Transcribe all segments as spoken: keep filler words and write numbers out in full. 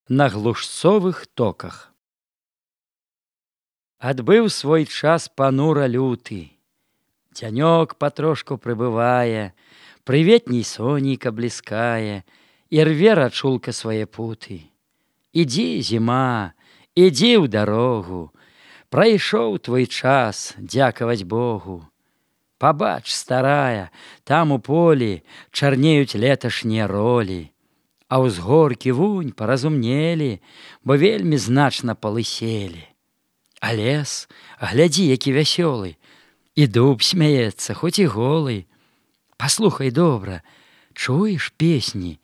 на глушцовых токах. Адбыў свой час панура люты. Дзянёк патрошку прыбывае, прыветней сонейка бліскае, і рве рачулка свае путы. Ідзі, зіма, ідзі ў дарогу, прайшоў твой час, дзякаваць Богу. Пабач, старая, там у полі чарнеюць леташнія ролі, а ўзгоркі вунь паразумнелі, бо вельмі значна палыселі. А лес, глядзі, які вясёлы, і дуб смяецца, хоць і голы. Паслухай добра, чуеш песні?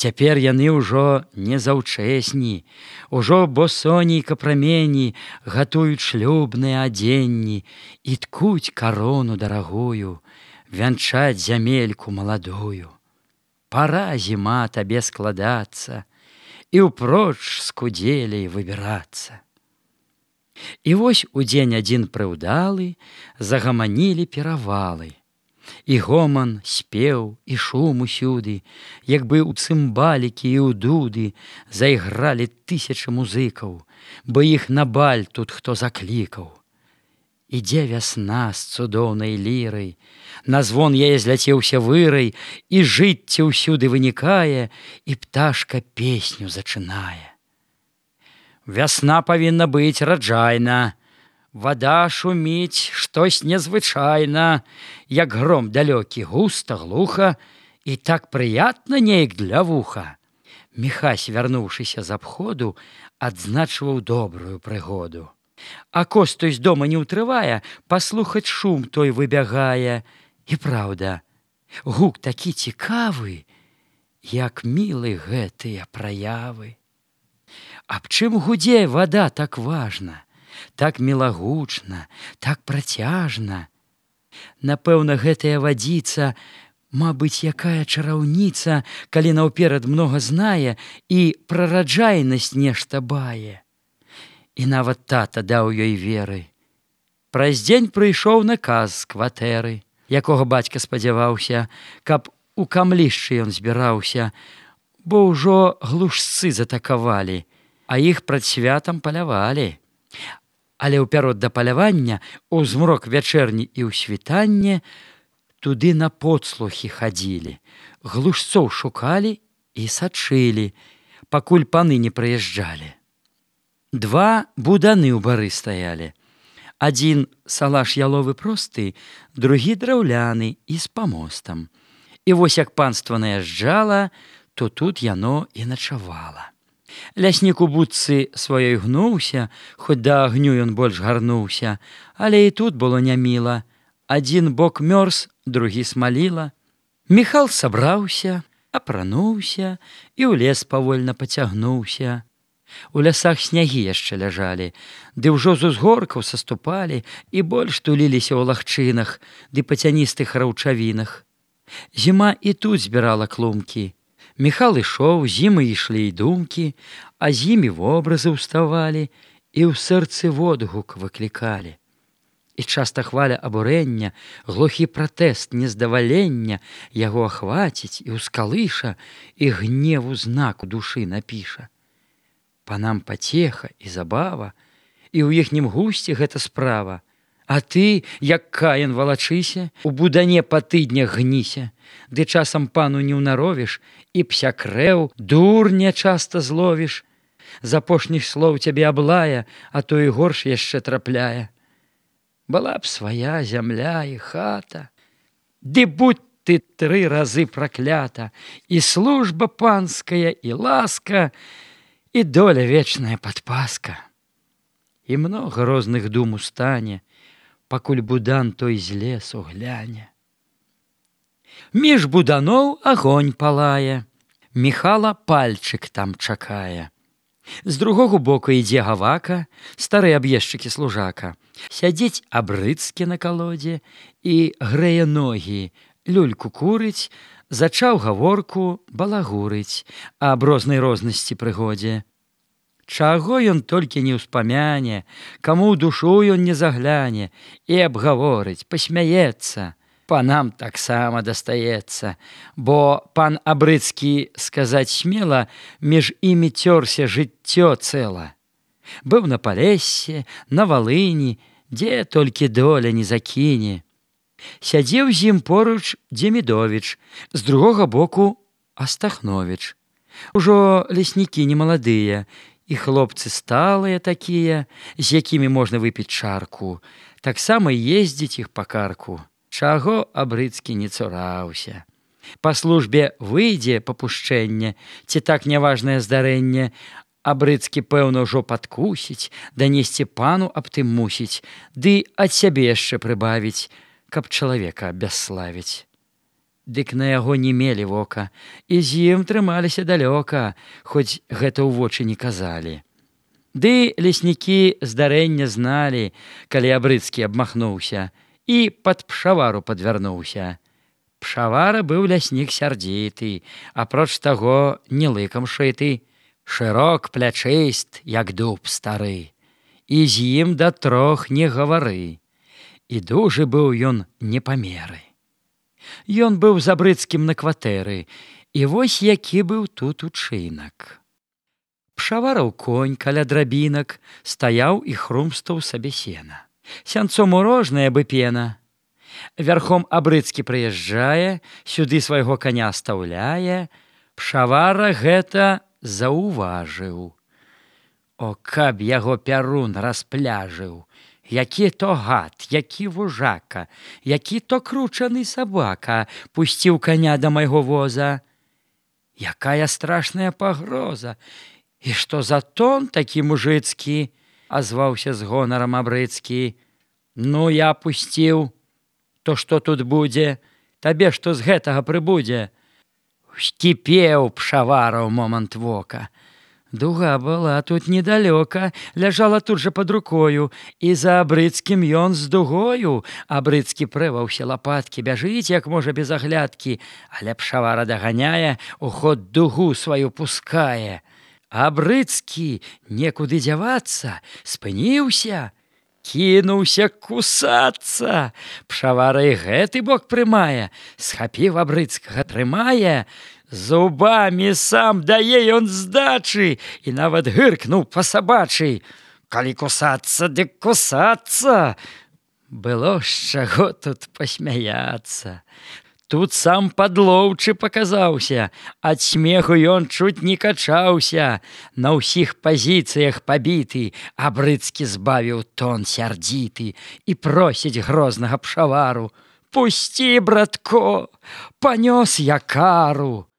Цяпер яны ўжо не заўчэсні, ужо бо сонейка прамені гатуюць шлюбныя адзенні і ткуць карону дарагую, вянчаць зямельку маладую. Пара, зіма, табе складацца і ўпроч з кудзелей выбірацца. І вось у дзень адзін прыўдалы загаманілі перавалы. І гоман, спеў, і шум усюды, як бы ў цымбалікі і ў дуды зайгралі тысячы музыкаў, бо іх на баль тут хто заклікаў. Ідзе вясна з цудоўнай лірай, на звон яе зляцеўся вырай, і жыцце ўсюды вынікае, і пташка песню зачынае. Вясна павінна быць раджайна, вада шуміць штось незвычайна, як гром далёкі, густа, глуха, і так прыятна неяк для вуха. Міхась, вярнуўшыся з абходу, адзначваў добрую прыгоду. А костой з дома не ўтрывае, паслухаць шум той выбягае. І праўда, гук такі цікавы, як мілы гэтыя праявы. Аб чым гудзе вада так важна, так мілагучна, так працяжна? Напэўна, гэтая вадзіца, мабыць, якая чараўніца, калі наўперад многа знае і пра раджайнасць нешта бае. І нават тата даў ёй веры. Праз дзень прыйшоў наказ з кватэры, якога бацька спадзяваўся, каб у камлішчы ён збіраўся, бо ўжо глушцы затакавалі, а іх прад святам палявалі. Але ў пярод да палявання, у змрок вячэрні і ў світанне, туды на подслухі хадзілі, глушцоў шукалі і сачылі, пакуль паны не прыязджалі. Два буданы ў бары стаялі. Адзін салаш яловы просты, другі драўляны і з памостам. І вось як панства наязджала, то тут яно і начавала. Ляснік у будцы сваёй гнуўся, хоць да агню ён больш гарнуўся, але і тут было няміла. Адзін бок мёрз, другі смаліла. Міхал сабраўся, апрануўся і ў лес павольна пацягнуўся. У лясах снягі яшчэ ляжалі, ды ўжо з узгоркаў саступалі і больш туліліся ў лагчынах ды па цяністых раўчавінах. Зіма і тут збірала клумкі. Міхал ішоў, зімы ішлі і думкі, а з імі вобразы ўставалі і ў сэрцы водгук выклікалі. І часта хваля абурэння, глухі пратэст нездавалення яго ахваціць і ўскалыша, і гневу знак у душы напіша. Панам пацеха і забава, і ў іхнім гусце гэта справа. А ты, як Каін, валачыся, у будане па тыднях гніся, ды часам пану не ўнаровіш, і псякрэў, дурня часта зловіш. З апошніх слоў цябе аблая, а то і горш яшчэ трапляе. Была б свая зямля і хата, ды будь ты тры разы праклята, і служба панская, і ласка, і доля вечная падпаска. І многа розных дум устане, пакуль будан той з лесу гляне. Між буданоў агонь палае, Міхала пальчык там чакае. З другога боку ідзе гавака, стары аб'ездчыкі служака. Сядзець абрыцкі на калодзе і грэе ногі, люльку курыць, зачаў гаворку балагурыць аб рознай рознасці прыгодзе. Чаго ён толькі не ўспамяне, каму ў душу ён не загляне і абгаворыць, пасмяецца. панам таксама дастаецца, бо пан Абрыцкі, сказаць смела, між імі цёрся жыццё цэла. Быў на Палесе, на Валыні, дзе толькі доля не закіне. Сядзеў з ім поруч Демідовіч, з другога боку Астахновіч. Ужо леснікі немаладыя, і хлопцы сталыя такія, з якімі можна выпіць чарку, таксама ездзіць іх па карку. Чаго Абрыцкі не цураўся. Па службе выйдзе папушчэнне, ці так няважнае здарэнне, Абрыцкі, пэўна, ужо падкусіць, данесці пану аб тым мусіць, ды ад сябе яшчэ прыбавіць, каб чалавека абясславіць. Дык на яго не мелі вока, і з ім трымаліся далёка, хоць гэта ў вочы не казалі. Ды леснікі здарэння зналі, калі Абрыцкі абмахнуўся, і пад пшавару падвярнуўся. Пшавара быў ляснік сярдзіты, апроч таго не лыкам шыты, шырок плячыст, як дуб стары, і з ім да трох не гавары. І дужы быў ён непамеры. Ён быў з Абрыцкім на кватэры, і вось які быў тут учынак. Пшавараў конь каля драбінак стаяў і хрумстаў сабе сена. Сянцом урожная бы пена. Вярхом Абрыцкі прыязджае, сюды свайго коня стаўляе. Пшавара гэта заўважыў. О, каб яго пярун распляжыў, які то гад, які вужака, які то кручаны сабака пусціў коня да майго воза. Якая страшная пагроза! І што за тон такі мужыцкі? Азваўся з гонарам Абрыцкі. Ну, я пусціў. То што тут будзе? Табе што з гэтага прыбудзе? Скіпеў пшавара ў момант вока. Дуга была тут недалёка, ляжала тут жа пад рукою, і за Абрыцкім ён з дугою. Абрыцкі прываўся лапаткі, бяжыць, як можа, без аглядкі, але пшавара даганяе, у ход дугу сваю пускае. Абрыцкі, некуды дзявацца, спыніўся, кінуўся кусацца. Пшавара і гэты бок прымае, схапіў Абрыцкага, трымае, зубамі сам дае ён здачы і нават гыркнуў па-сабачы. Калі кусацца, дык кусацца. Было з чаго тут пасмяяцца. Тут сам падлоўчы паказаўся, ад смеху ён чуць не качаўся. На ўсіх пазіцыях пабіты, Абрыцкі збавіў тон сярдзіты і просіць грознага пшавару: «Пусці, братко, панёс я кару».